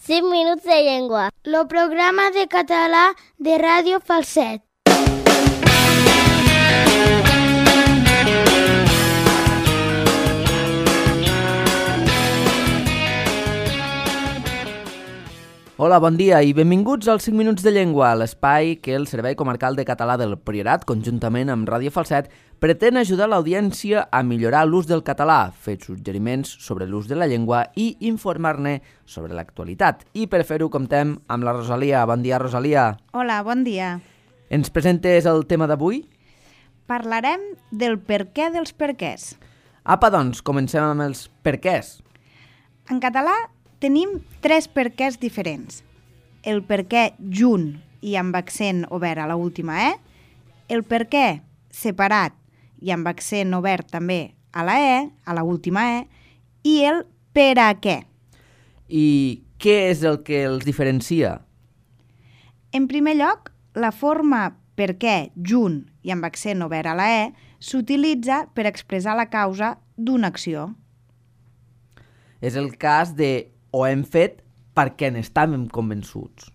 5 minuts de llengua. El programa de català de Ràdio Falset. Hola, bon dia i benvinguts als 5 minuts de llengua, l'espai que el Servei Comarcal de Català del Priorat, conjuntament amb Ràdio Falset, pretén ajudar l'audiència a millorar l'ús del català, fer suggeriments sobre l'ús de la llengua i informar-ne sobre l'actualitat. I per fer-ho comptem amb la Rosalia. Bon dia, Rosalia. Hola, bon dia. Ens presentes el tema d'avui? Parlarem del perquè dels perquès. Apa, doncs, comencem amb els perquès. En català tenim 3 perquès diferents. El perquè junt i amb accent obert a l'última E, el perquè separat i amb accent obert també a la E, a l'última E, i el per a què. I què és el que els diferencia? En primer lloc, la forma perquè junt i amb accent obert a la E s'utilitza per expressar la causa d'una acció. És el cas de ho hem fet perquè n'estàvem convençuts.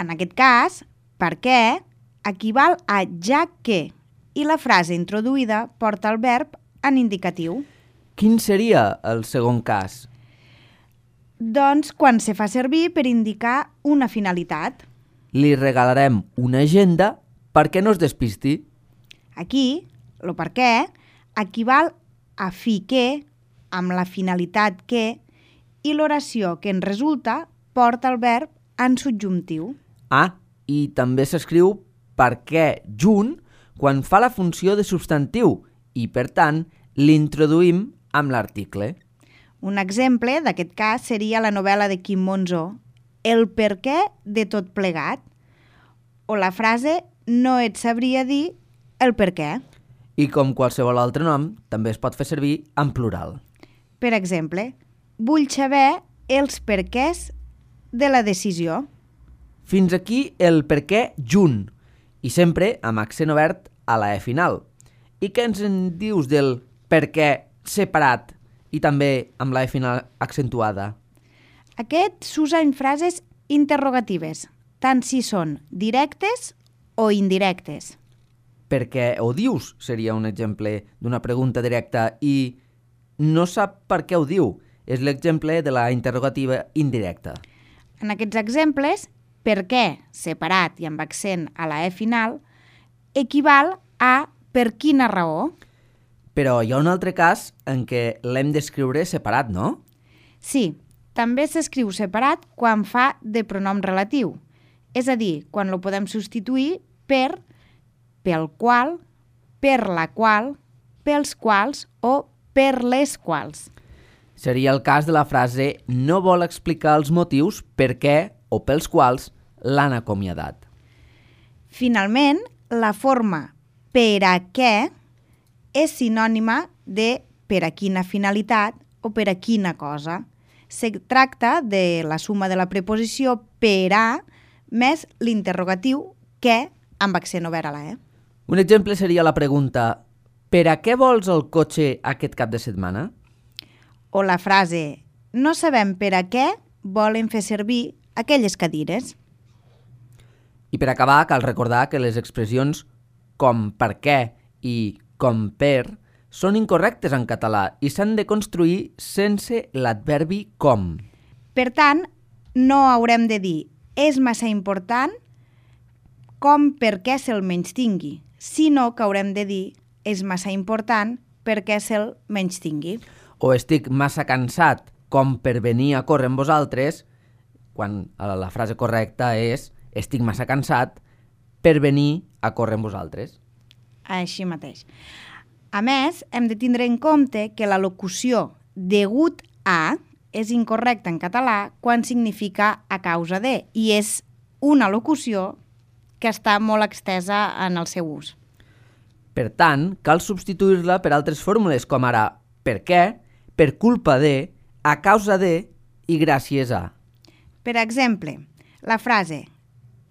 En aquest cas, perquè equival a ja que i la frase introduïda porta el verb en indicatiu. Quin seria el segon cas? Doncs quan se fa servir per indicar una finalitat. Li regalarem una agenda perquè no es despisti. Aquí, el perquè equival a fi que, amb la finalitat que, i l'oració que en resulta porta el verb en subjuntiu. Ah, i també s'escriu perquè junt quan fa la funció de substantiu i, per tant, l'introduïm amb l'article. Un exemple d'aquest cas seria la novel·la de Quim Monzó, El perquè de tot plegat, o la frase no et sabria dir el perquè. I com qualsevol altre nom, també es pot fer servir en plural. Per exemple, vull saber els perquès de la decisió. Fins aquí el perquè junt, i sempre amb accent obert a la E final. I què ens en dius del perquè separat i també amb la E final accentuada? Aquest s'usa en frases interrogatives, tant si són directes o indirectes. Per què ho dius seria un exemple d'una pregunta directa i no sap per què ho diu. És l'exemple de la interrogativa indirecta. En aquests exemples, per què, separat i amb accent a la E final, equival a per quina raó. Però hi ha un altre cas en què l'hem d'escriure separat, no? Sí, també s'escriu separat quan fa de pronom relatiu, és a dir, quan lo podem substituir per, pel qual, per la qual, pels quals o per les quals. Seria el cas de la frase no vol explicar els motius per què o pels quals l'han acomiadat. Finalment, la forma per a què és sinònima de per a quina finalitat o per a quina cosa. Se tracta de la suma de la preposició per a més l'interrogatiu què amb accent obert a la E. Un exemple seria la pregunta per a què vols el cotxe aquest cap de setmana? O la frase no sabem per a què volen fer servir aquelles cadires. I per acabar, cal recordar que les expressions com per què i com per són incorrectes en català i s'han de construir sense l'adverbi com. Per tant, no haurem de dir és massa important com perquè se'l menystingui, sinó que haurem de dir és massa important perquè se'l menystingui. O estic massa cansat com per venir a córrer amb vosaltres, quan la frase correcta és estic massa cansat per venir a córrer amb vosaltres. Així mateix. A més, hem de tindre en compte que la locució degut a és incorrecta en català quan significa a causa de, i és una locució que està molt extesa en el seu ús. Per tant, cal substituir-la per altres fórmules com ara per què, per culpa de, a causa de i gràcies a. Per exemple, la frase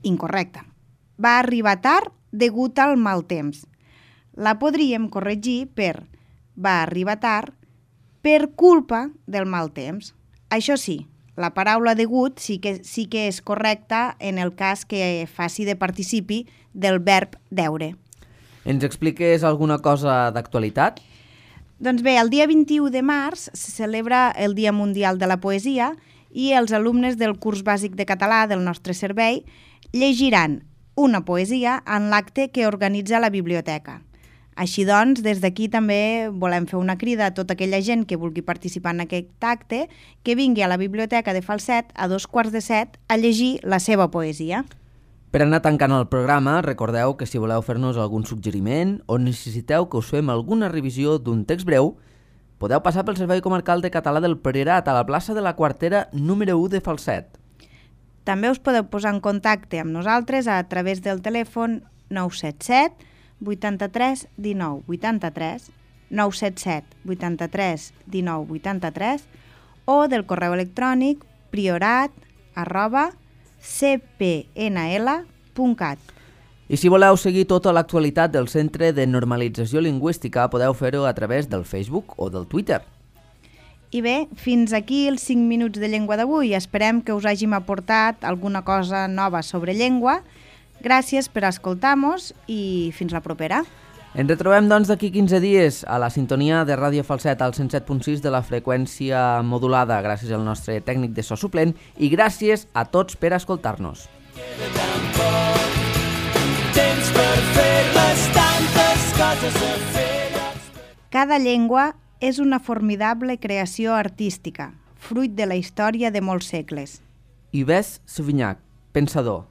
incorrecta va arribar tard degut al mal temps. La podríem corregir per va arribar tard per culpa del mal temps. Això sí, la paraula degut sí que és correcta en el cas que faci de participi del verb deure. Ens expliques alguna cosa d'actualitat? Doncs bé, el dia 21 de març se celebra el Dia Mundial de la Poesia i els alumnes del curs bàsic de català del nostre servei llegiran una poesia en l'acte que organitza la biblioteca. Així doncs, des d'aquí també volem fer una crida a tota aquella gent que vulgui participar en aquest acte que vingui a la biblioteca de Falset a 6:45 a llegir la seva poesia. Per anar tancant el programa, recordeu que si voleu fer-nos algun suggeriment o necessiteu que us fem alguna revisió d'un text breu, podeu passar pel Servei Comarcal de Català del Priorat a la plaça de la Quartera número 1 de Falset. També us podeu posar en contacte amb nosaltres a través del telèfon 977 83 19 83, 977 83 19 83 o del correu electrònic priorat@cpnl.cat. I si voleu seguir tota l'actualitat del Centre de Normalització Lingüística, podeu fer-ho a través del Facebook o del Twitter. I bé, fins aquí els 5 minuts de llengua d'avui. Esperem que us hàgim aportat alguna cosa nova sobre llengua. Gràcies per escoltar-nos i fins la propera. Ens retrobem, doncs, d'aquí 15 dies a la sintonia de Ràdio Falset al 107.6 de la freqüència modulada, gràcies al nostre tècnic de so suplent i gràcies a tots per escoltar-nos. Cada llengua és una formidable creació artística, fruit de la història de molts segles. Yves Sauvignac, pensador.